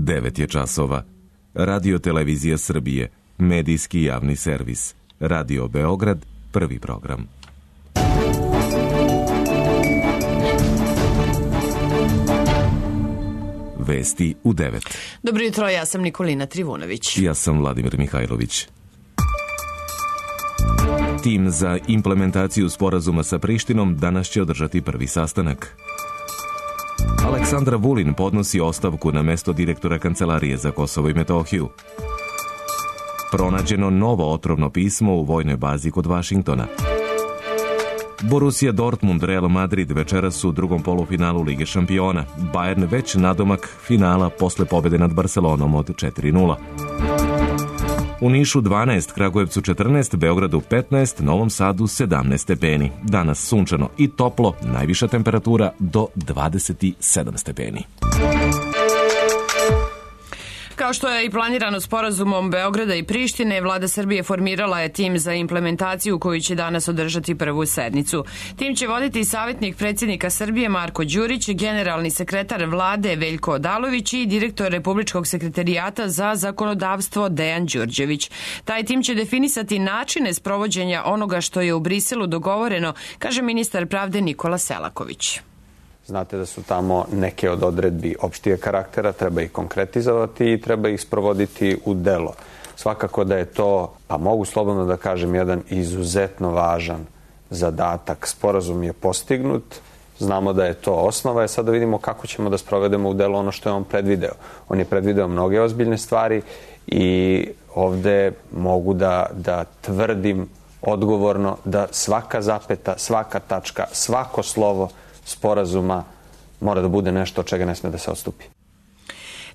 9 je časova. Radio Televizija Srbije, medijski javni servis. Radio Beograd, prvi program. Vesti u 9. Dobro jutro, ja sam Nikolina Trivunović. Ja sam Vladimir Mihajlović. Tim za implementaciju sporazuma sa Prištinom danas će održati prvi sastanak. Aleksandar Vulin podnosi ostavku na mesto direktora Kancelarije za Kosovo i Metohiju. Pronađeno novo otrovno pismo u vojnoj bazi kod Vašingtona. Borussia Dortmund, Real Madrid večeras u drugom polufinalu Lige šampiona. Bayern već nadomak finala posle pobede nad Barcelonom od 4:0. U Nišu 12, Kragujevcu 14, Beogradu 15, Novom Sadu 17 stepeni. Danas sunčano i toplo, najviša temperatura do 27 stepeni. Kao što je i planirano sporazumom Beograda i Prištine, Vlada Srbije formirala je tim za implementaciju koji će danas održati prvu sednicu. Tim će voditi savjetnik predsjednika Srbije Marko Đurić, generalni sekretar Vlade Veljko Odalović i direktor Republičkog sekretarijata za zakonodavstvo Dejan Đurđević. Taj tim će definisati načine sprovođenja onoga što je u Briselu dogovoreno, kaže ministar pravde Nikola Selaković. Znate da su tamo neke od odredbi opštijeg karaktera, treba ih konkretizovati i treba ih sprovoditi u delo. Svakako da je to, pa mogu slobodno da kažem, jedan izuzetno važan zadatak. Sporazum je postignut, znamo da je to osnova, sada vidimo kako ćemo da sprovedemo u delo ono što je on predvideo. On je predvideo mnoge ozbiljne stvari i ovde mogu da tvrdim odgovorno da svaka zapeta, svaka tačka, svako slovo sporazuma mora da bude nešto od čega ne sme da se odstupi.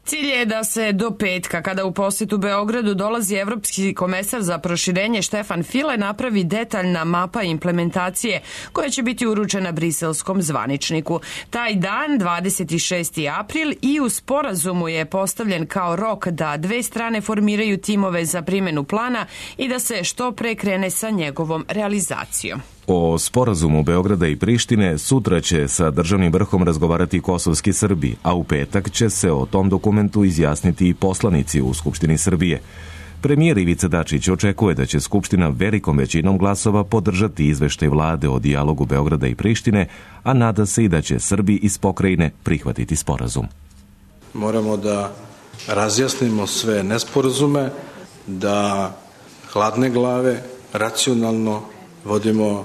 Cilj je da se do petka, kada u posjetu Beogradu dolazi evropski komesar za proširenje Štefan File, napravi detaljna mapa implementacije koja će biti uručena briselskom zvaničniku. Taj dan, 26. april, i u sporazumu je postavljen kao rok da dve strane formiraju timove za primjenu plana i da se što pre krene sa njegovom realizacijom. O sporazumu Beograda i Prištine sutra će sa državnim vrhom razgovarati kosovski Srbi, a u petak će se o tom dokumentu izjasniti i poslanici u Skupštini Srbije. Premijer Ivica Dačić očekuje da će Skupština velikom većinom glasova podržati izveštaj vlade o dijalogu Beograda i Prištine, a nada se i da će Srbi iz pokrajine prihvatiti sporazum. Moramo da razjasnimo sve nesporazume, da hladne glave, racionalno vodimo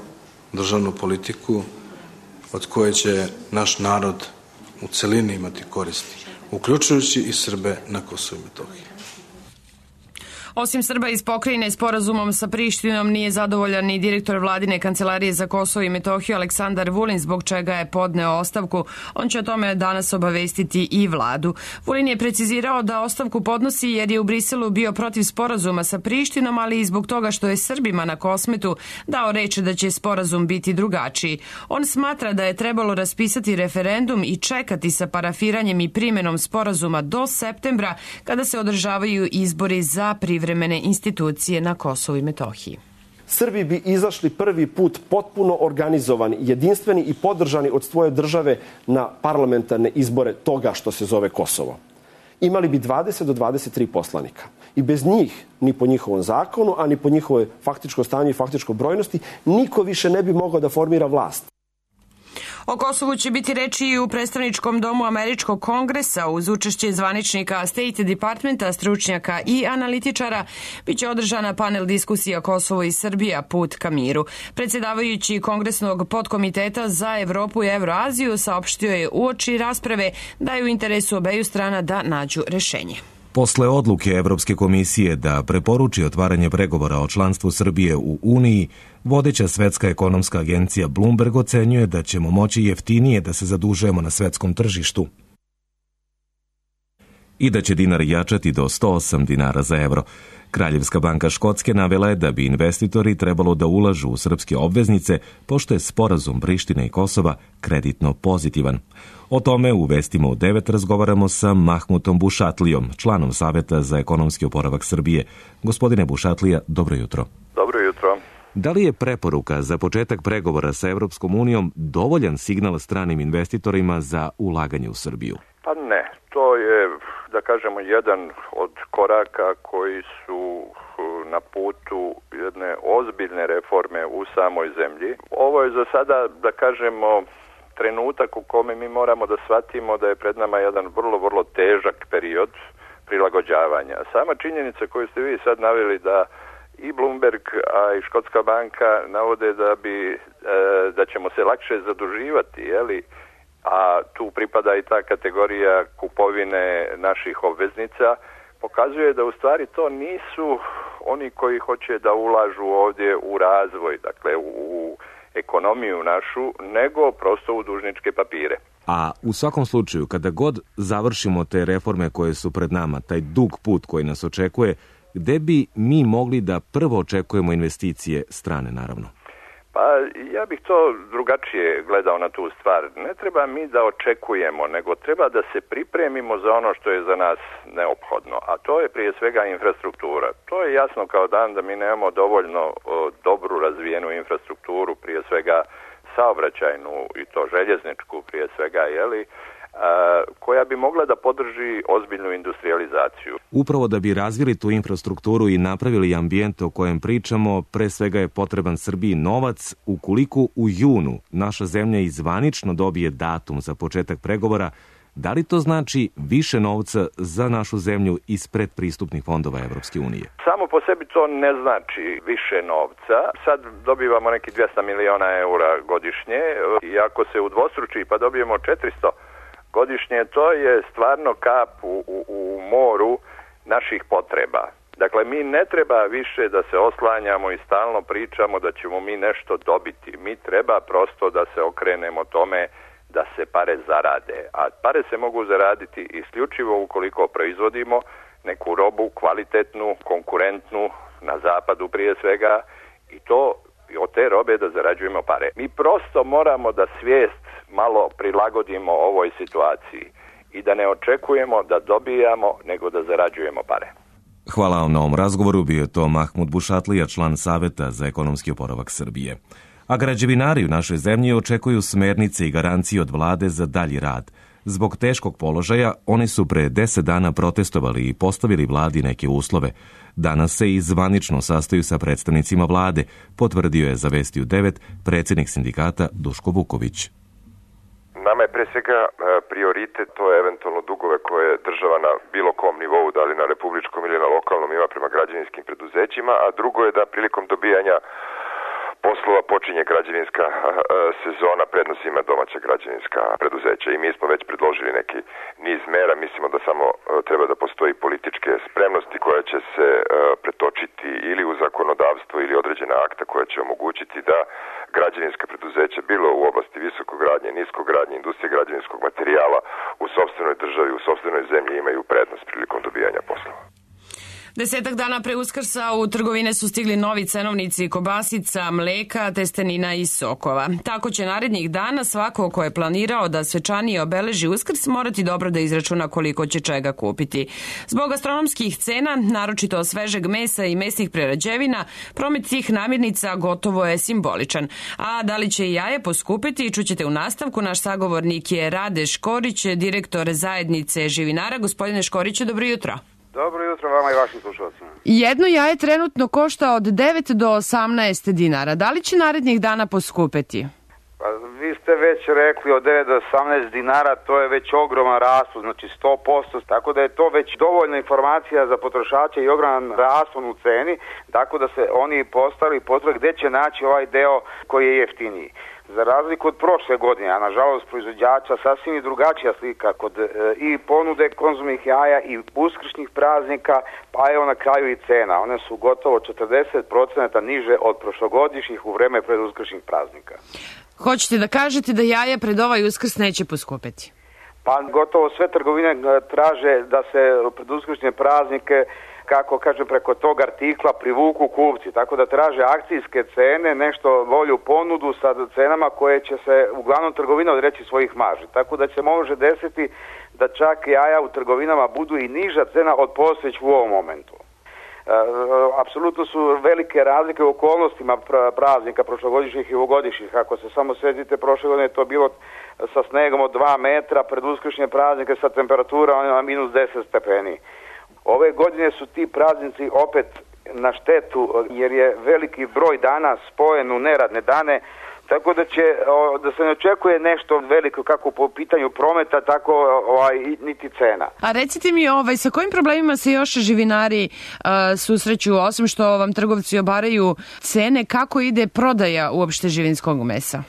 državnu politiku od koje će naš narod u celini imati koristi, uključujući i Srbe na Kosovu i Metohiji. Osim Srba iz pokrajine, sporazumom sa Prištinom nije zadovoljan ni direktor Vladine Kancelarije za Kosovo i Metohiju Aleksandar Vulin, zbog čega je podneo ostavku. On će o tome danas obavestiti i vladu. Vulin je precizirao da ostavku podnosi jer je u Briselu bio protiv sporazuma sa Prištinom, ali i zbog toga što je Srbima na Kosmetu dao reč da će sporazum biti drugačiji. On smatra da je trebalo raspisati referendum i čekati sa parafiranjem i primjenom sporazuma do septembra, kada se održavaju izbori za privremene institucije na Kosovu i Metohiji. Srbi bi izašli prvi put potpuno organizovani, jedinstveni i podržani od svoje države na parlamentarne izbore toga što se zove Kosovo. Imali bi 20 do 23 poslanika. I bez njih, ni po njihovom zakonu, a ni po njihovoj faktičkom stanju i faktičkoj brojnosti, niko više ne bi mogao da formira vlast. O Kosovu će biti reči i u predstavničkom domu Američkog kongresa. Uz učešće zvaničnika State Departmenta, stručnjaka i analitičara biće održana panel diskusija Kosovo i Srbija, put ka miru. Predsjedavajući Kongresnog podkomiteta za Evropu i Evroaziju saopštio je uoči rasprave da je u interesu obeju strana da nađu rešenje. Posle odluke Evropske komisije da preporuči otvaranje pregovora o članstvu Srbije u Uniji, vodeća svetska ekonomska agencija Bloomberg ocenjuje da ćemo moći jeftinije da se zadužujemo na svetskom tržištu i da će dinar jačati do 108 dinara za evro. Kraljevska banka Škotske navela je da bi investitori trebalo da ulažu u srpske obveznice, pošto je sporazum Prištine i Kosova kreditno pozitivan. O tome u vestima u 9 razgovaramo sa Mahmutom Bušatlijom, članom Saveta za ekonomski oporavak Srbije. Gospodine Bušatlija, dobro jutro. Dobro jutro. Da li je preporuka za početak pregovora sa Evropskom unijom dovoljan signal stranim investitorima za ulaganje u Srbiju? Pa ne, to je, da kažemo, jedan od koraka koji su na putu jedne ozbiljne reforme u samoj zemlji. Ovo je za sada, da kažemo, trenutak u kome mi moramo da shvatimo da je pred nama jedan vrlo, vrlo težak period prilagođavanja. Sama činjenica koju ste vi sad naveli da i Bloomberg, a i Škotska banka navode da ćemo se lakše zaduživati, jeli? A tu pripada i ta kategorija kupovine naših obveznica, pokazuje da u stvari to nisu oni koji hoće da ulažu ovdje u razvoj, dakle u ekonomiju našu, nego prosto u dužničke papire. A u svakom slučaju, kada god završimo te reforme koje su pred nama, taj dug put koji nas očekuje, gde bi mi mogli da prvo očekujemo investicije strane, naravno? Pa ja bih to drugačije gledao na tu stvar. Ne treba mi da očekujemo, nego treba da se pripremimo za ono što je za nas neophodno. A to je prije svega infrastruktura. To je jasno kao dan da mi nemamo dovoljno dobru razvijenu infrastrukturu, prije svega saobraćajnu i to željezničku prije svega, koja bi mogla da podrži ozbiljnu industrializaciju. Upravo da bi razvili tu infrastrukturu i napravili ambijent o kojem pričamo, pre svega je potreban Srbiji novac. Ukoliko u junu naša zemlja izvanično dobije datum za početak pregovora, da li to znači više novca za našu zemlju iz predpristupnih fondova Evropske unije? Samo po sebi to ne znači više novca. Sad dobivamo neki 200 miliona eura godišnje i ako se udvostruči pa dobijemo 400 godišnje, to je stvarno kap u moru naših potreba. Dakle, mi ne treba više da se oslanjamo i stalno pričamo da ćemo mi nešto dobiti. Mi treba prosto da se okrenemo tome da se pare zarade. A pare se mogu zaraditi isključivo ukoliko proizvodimo neku robu kvalitetnu, konkurentnu, na zapadu prije svega, i to od te robe da zarađujemo pare. Mi prosto moramo da svijest malo prilagodimo ovoj situaciji i da ne očekujemo da dobijamo, nego da zarađujemo pare. Hvala vam na ovom razgovoru. Bio je to Mahmud Bušatlija, član Saveta za ekonomski oporavak Srbije. A građevinari u našoj zemlji očekuju smernice i garancije od vlade za dalji rad. Zbog teškog položaja, oni su pre 10 dana protestovali i postavili vladi neke uslove. Danas se i zvanično sastaju sa predstavnicima vlade, potvrdio je za Vesti u 9 predsjednik sindikata Duško Vuković. Nama je pre svega prioritet to je eventualno dugove koje država na bilo kom nivou, da li na republičkom ili na lokalnom, ima prema građevinskim preduzećima, a drugo je da prilikom dobijanja poslova počinje građevinska sezona, prednost ima domaća građevinska preduzeća i mi smo već predložili neki niz mera. Mislimo da samo treba da postoji političke spremnosti koja će se pretočiti ili u zakonodavstvo ili određena akta koja će omogućiti da građevinska preduzeća, bilo u oblasti visokogradnje, niskogradnje, industrije građevinskog materijala u sopstvenoj državi, u sopstvenoj zemlji imaju prednost prilikom dobijanja poslova. 10 dana pre Uskrsa u trgovine su stigli novi cenovnici kobasica, mleka, testenina i sokova. Tako će narednih dana svako ko je planirao da svečanije obeleži Uskrs morati dobro da izračuna koliko će čega kupiti. Zbog astronomskih cena, naročito svežeg mesa i mesnih prerađevina, promet tih namirnica gotovo je simboličan. A da li će i jaje poskupiti, čućete u nastavku. Naš sagovornik je Rade Škorić, direktor zajednice živinara. Gospodine Škoriću, dobro jutro. Dobro jutro vama i vašim slušalcima. Jedno jaje trenutno košta od 9 do 18 dinara. Da li će narednih dana poskupeti? Pa, vi ste već rekli od 9 do 18 dinara, to je već ogroman raspon, znači 100%, tako da je to već dovoljna informacija za potrošače i ogroman raspon u ceni, tako da se oni postavili potrebe gde će naći ovaj deo koji je jeftiniji. Za razliku od prošle godine, a nažalost proizvođača sasvim je drugačija slika kod i ponude konzumnih jaja i uskršnjih praznika, pa evo na kraju i cena. One su gotovo 40% niže od prošlogodišnjih u vreme pred uskršnjih praznika. Hoćete da kažete da jaja pred ovaj Uskrs neće poskupeti? Pa gotovo sve trgovine traže da se pred uskršnje praznike, kako kaže, preko tog artikla privuku kupci, tako da traže akcijske cene, nešto bolju ponudu sa cenama koje će se uglavnom trgovina odreći svojih marži, tako da se može desiti da čak jaja u trgovinama budu i niža cena od postojećih u ovom momentu. Apsolutno su velike razlike u okolnostima praznika prošlogodišnjih i ovogodišnjih. Ako se samo sjetite, prošle godine je to bilo sa snegom od 2 metra, pred uskršnje praznike sa temperaturama na minus 10 stepeni. Ove godine su ti praznici opet na štetu, jer je veliki broj dana spojen u neradne dane, tako da se ne očekuje nešto veliko kako po pitanju prometa, tako niti cena. A recite mi, sa kojim problemima se još živinari susreću, osim što vam trgovci obaraju cene, kako ide prodaja uopšte živinskog mesa?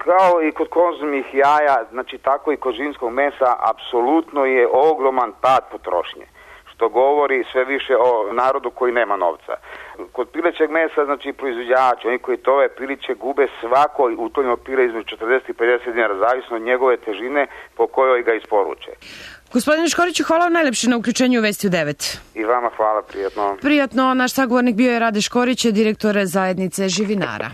Kao i kod konzumnih jaja, znači tako i kod živinskog mesa, apsolutno je ogroman pad potrošnje, što govori sve više o narodu koji nema novca. Kod pilećeg mesa, znači proizvođači, oni koji tove piliće gube svako utovljeno pile između 40 i 50 dinara, zavisno od njegove težine po kojoj ga isporuče. Gospodine Škoriću, hvala vam najlepše na uključenju u Vesti u 9. I vama hvala, prijatno. Prijatno, naš sagovornik bio je Rade Škorić, direktor zajednice živinara.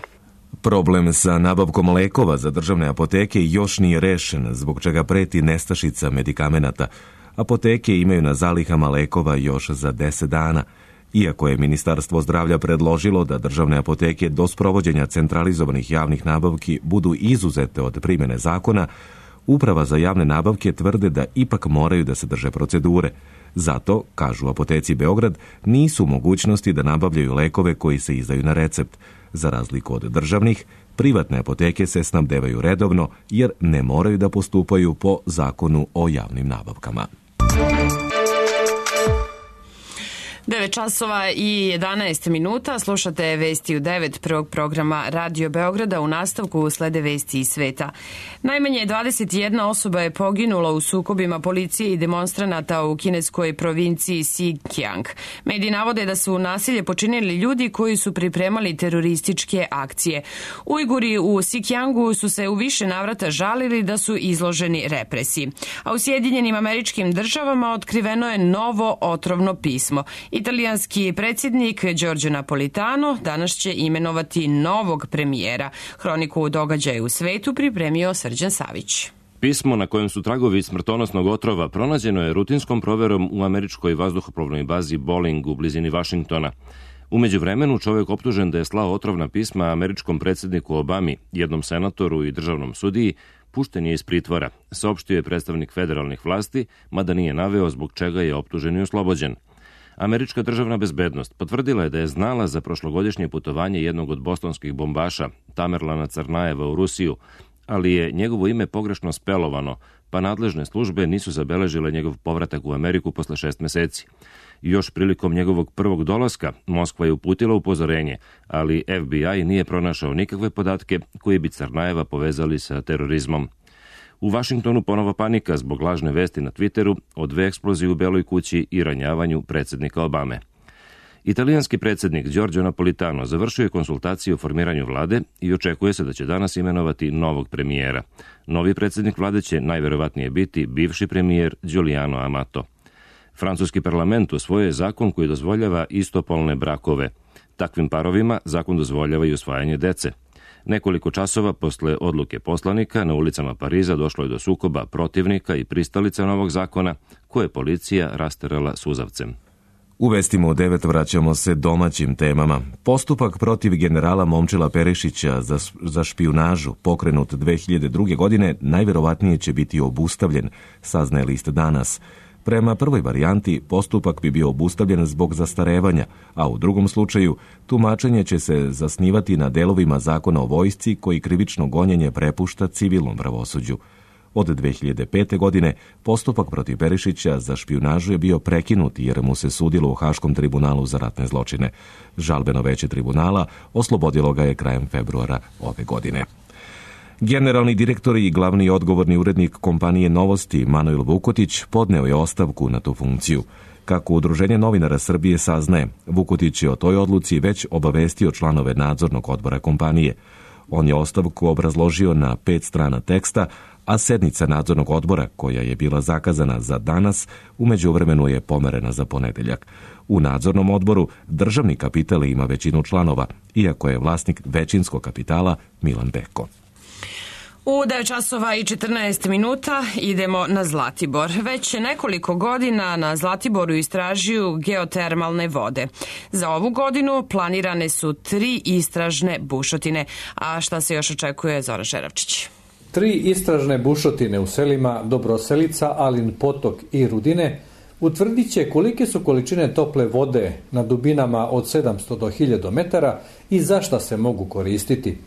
Problem sa nabavkom lekova za državne apoteke još nije rešen, zbog čega preti nestašica medikamenata. Apoteke imaju na zalihama lekova još za 10 dana. Iako je Ministarstvo zdravlja predložilo da državne apoteke do sprovođenja centralizovanih javnih nabavki budu izuzete od primjene zakona, Uprava za javne nabavke tvrde da ipak moraju da se drže procedure. Zato, kažu Apoteci Beograd, nisu u mogućnosti da nabavljaju lekove koji se izdaju na recept. Za razliku od državnih, privatne apoteke se snabdevaju redovno jer ne moraju da postupaju po zakonu o javnim nabavkama. 9 časova i 11 minuta. Slušate Vesti u 9 prvog programa Radio Beograda. U nastavku slede vesti iz sveta. Najmanje 21 osoba je poginula u sukobima policije i demonstranata u kineskoj provinciji Xinjiang. Mediji navode da su nasilje počinili ljudi koji su pripremali terorističke akcije. Ujguri u Xinjiangu su se u više navrata žalili da su izloženi represiji. A u Sjedinjenim Američkim Državama otkriveno je novo otrovno pismo. Italijanski predsjednik Giorgio Napolitano danas će imenovati novog premijera. Hroniku događaja u svetu pripremio Srđan Savić. Pismo na kojem su tragovi smrtonosnog otrova pronađeno je rutinskom proverom u američkoj vazduhoplovnoj bazi Bolling u blizini Vašingtona. U međuvremenu čovjek optužen da je slao otrovna pisma američkom predsjedniku Obami, jednom senatoru i državnom sudiji, pušten je iz pritvora, saopštio je predstavnik federalnih vlasti, mada nije naveo zbog čega je optužen i oslobođen. Američka državna bezbednost potvrdila je da je znala za prošlogodišnje putovanje jednog od bostonskih bombaša, Tamerlana Crnajeva, u Rusiju, ali je njegovo ime pogrešno spelovano, pa nadležne službe nisu zabeležile njegov povratak u Ameriku posle 6 meseci. Još prilikom njegovog prvog dolaska, Moskva je uputila upozorenje, ali FBI nije pronašao nikakve podatke koji bi Crnajeva povezali sa terorizmom. U Vašingtonu ponovo panika zbog lažne vesti na Twitteru o 2 eksplozije u Beloj kući i ranjavanju predsjednika Obame. Italijanski predsjednik Giorgio Napolitano završio je konsultacije o formiranju vlade i očekuje se da će danas imenovati novog premijera. Novi predsjednik vlade će najverovatnije biti bivši premijer Giuliano Amato. Francuski parlament usvojio je zakon koji dozvoljava istopolne brakove. Takvim parovima zakon dozvoljava i usvajanje dece. Nekoliko časova posle odluke poslanika na ulicama Pariza došlo je do sukoba protivnika i pristalica novog zakona, koje je policija rasterala suzavcem. U vestima u 9 vraćamo se domaćim temama. Postupak protiv generala Momčila Perišića za špijunažu, pokrenut 2002. godine, najverovatnije će biti obustavljen, saznaje list Danas. Prema prvoj varijanti, postupak bi bio obustavljen zbog zastarevanja, a u drugom slučaju, tumačenje će se zasnivati na delovima zakona o vojsci koji krivično gonjenje prepušta civilnom pravosuđu. Od 2005. godine postupak protiv Perišića za špijunažu je bio prekinut jer mu se sudilo u Haškom tribunalu za ratne zločine. Žalbeno veće tribunala oslobodilo ga je krajem februara ove godine. Generalni direktor i glavni odgovorni urednik kompanije Novosti Manuel Vukotić podneo je ostavku na tu funkciju. Kako Udruženje novinara Srbije saznaje, Vukotić je o toj odluci već obavestio članove nadzornog odbora kompanije. On je ostavku obrazložio na 5 strana teksta, a sednica nadzornog odbora, koja je bila zakazana za danas, u međuvremenu je pomerena za ponedeljak. U nadzornom odboru državni kapital ima većinu članova, iako je vlasnik većinskog kapitala Milan Beko. U 9 časova i 14 minuta idemo na Zlatibor. Već nekoliko godina na Zlatiboru istražuju geotermalne vode. Za ovu godinu planirane su 3 istražne bušotine. A šta se još očekuje, Zoran Žeravčić? 3 istražne bušotine u selima Dobroselica, Alin Potok i Rudine utvrdit će kolike su količine tople vode na dubinama od 700 do 1000 metara i za šta se mogu koristiti.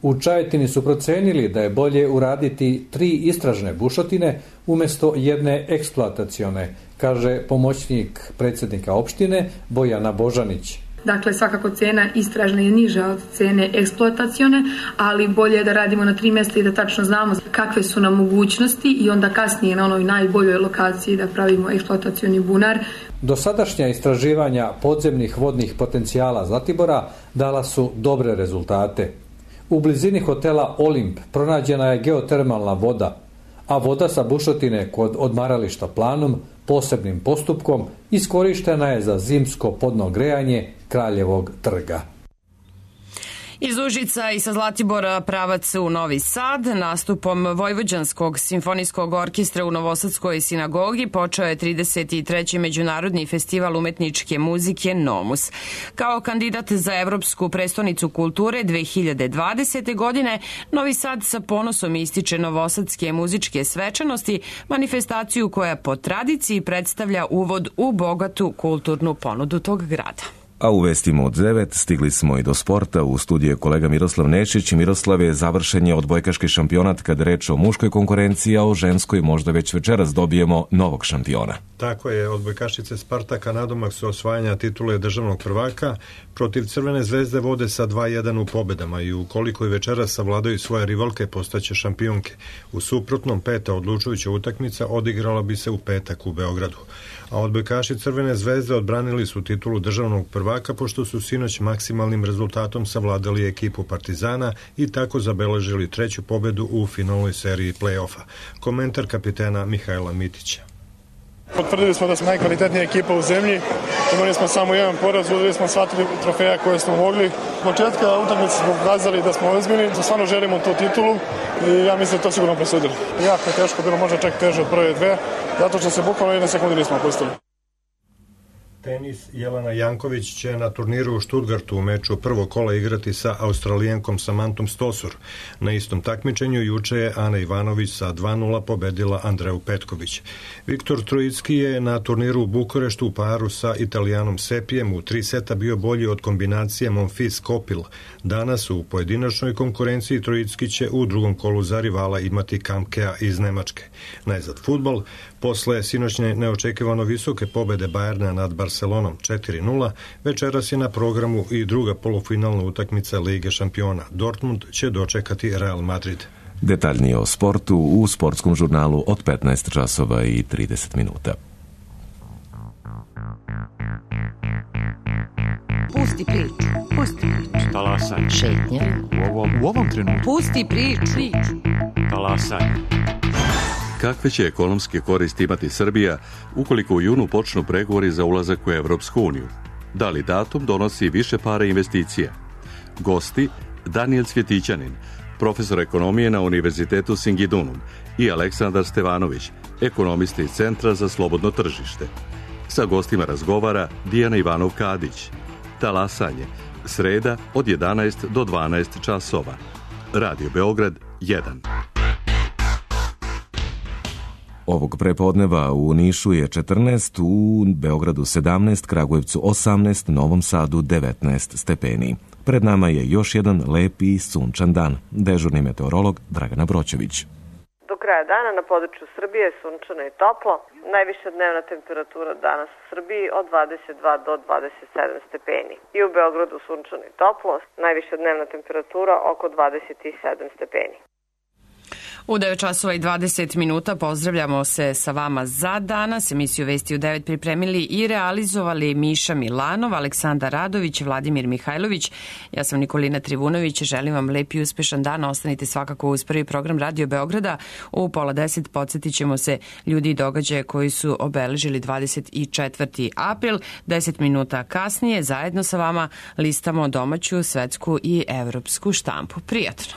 U Čajetini su procenili da je bolje uraditi 3 istražne bušotine umjesto jedne eksploatacione, kaže pomoćnik predsjednika opštine Bojana Božanić. Dakle, svakako cena istražne je niža od cene eksploatacione, ali bolje je da radimo na 3 mjesta i da tačno znamo kakve su nam mogućnosti i onda kasnije na onoj najboljoj lokaciji da pravimo eksploatacioni bunar. Dosadašnja istraživanja podzemnih vodnih potencijala Zlatibora dala su dobre rezultate. U blizini hotela Olimp pronađena je geotermalna voda, a voda sa bušotine kod odmarališta Planum posebnim postupkom iskorištena je za zimsko podno grejanje Kraljevog trga. Iz Užica i sa Zlatibora pravac u Novi Sad nastupom Vojvođanskog simfonijskog orkestra u Novosadskoj sinagogi počeo je 33. Međunarodni festival umetničke muzike Nomus. Kao kandidat za Evropsku prestonicu kulture 2020. godine, Novi Sad sa ponosom ističe novosadske muzičke svečanosti, manifestaciju koja po tradiciji predstavlja uvod u bogatu kulturnu ponudu tog grada. A u vestima od 9 stigli smo i do sporta. U studiju je kolega Miroslav Nešić. Miroslave, završen je odbojkaški šampionat kada reč o muškoj konkurenciji, a o ženskoj možda već večeras dobijemo novog šampiona. Tako je, odbojkašice Spartaka nadomak su osvajanja titule državnog prvaka protiv Crvene zvezde vode sa 2-1 u pobedama i ukoliko i večeras savladaju svoje rivalke postaće šampionke. U suprotnom, 5. odlučujuća utakmica odigrala bi se u petak u Beogradu. A odbojkaši Crvene zvezde odbranili su titulu državnog prvaka pošto su sinoć maksimalnim rezultatom savladali ekipu Partizana i tako zabeležili 3. pobedu u finalnoj seriji play-offa. Komentar kapitena Mihajla Mitića. Potvrdili smo da smo najkvalitetnija ekipa u zemlji, imali smo samo jedan poraz, uzeli smo sva 3 trofeja koje smo mogli. Od početka utakmice smo pokazali da smo ozbiljni, da stvarno želimo tu titulu i ja mislim da to sigurno presudili. Jako je teško, bilo možda čak teže od prve 2, zato što se bukvalno 1 sekundu nismo opustili. Tenis, Jelena Janković će na turniru u Stuttgartu u meču prvog kola igrati sa Australijankom Samantom Stosur. Na istom takmičenju juče je Ana Ivanović sa 2-0 pobedila Andreju Petković. Viktor Trojicki je na turniru u Bukureštu u paru sa Italijanom Sepijem u 3 seta bio bolji od kombinacije Monfils-Kopil. Danas u pojedinačnoj konkurenciji Trojicki će u drugom kolu za rivala imati Kamkea iz Nemačke. Najzad fudbal, posle sinoćne neočekivano visoke pobede Bajerna nad Barcelonom 4-0, večeras je na programu i druga polufinalna utakmica Lige šampiona. Dortmund će dočekati Real Madrid. Detaljnije o sportu u sportskom žurnalu od 15 časova i 30 minuta. Pusti priču. Pusti priču. Talasaj. Šetnja. U ovom trenutku. Pusti priču. Talasaj. Kakve će ekonomske koristi imati Srbija ukoliko u junu počnu pregovori za ulazak u Evropsku uniju? Da li datum donosi više para investicija? Gosti Daniel Cvjetićanin, profesor ekonomije na Univerzitetu Singidunum, i Aleksandar Stevanović, ekonomista iz Centra za slobodno tržište. Sa gostima razgovara Dijana Ivanov-Kadić. Talasanje, sreda od 11 do 12 časova. Radio Beograd 1. Ovog prepodneva u Nišu je 14, u Beogradu 17, Kragujevcu 18, Novom Sadu 19 stepeni. Pred nama je još jedan lep i sunčan dan. Dežurni meteorolog Dragana Broćević. Do kraja dana na području Srbije je sunčano i toplo. Najviša dnevna temperatura danas u Srbiji od 22 do 27 stepeni. I u Beogradu sunčano i toplo. Najviša dnevna temperatura oko 27 stepeni. U 9 časova i 20 minuta pozdravljamo se sa vama za danas. Emisiju Vesti u 9 pripremili i realizovali Miša Milanov, Aleksandar Radović, Vladimir Mihajlović. Ja sam Nikolina Trivunović. Želim vam lep i uspešan dan. Ostanite svakako uz prvi program Radio Beograda. U 9:30 podsjetit ćemo se ljudi i događaje koji su obeležili 24. april. 10 minuta kasnije zajedno sa vama listamo domaću, svetsku i evropsku štampu. Prijatno!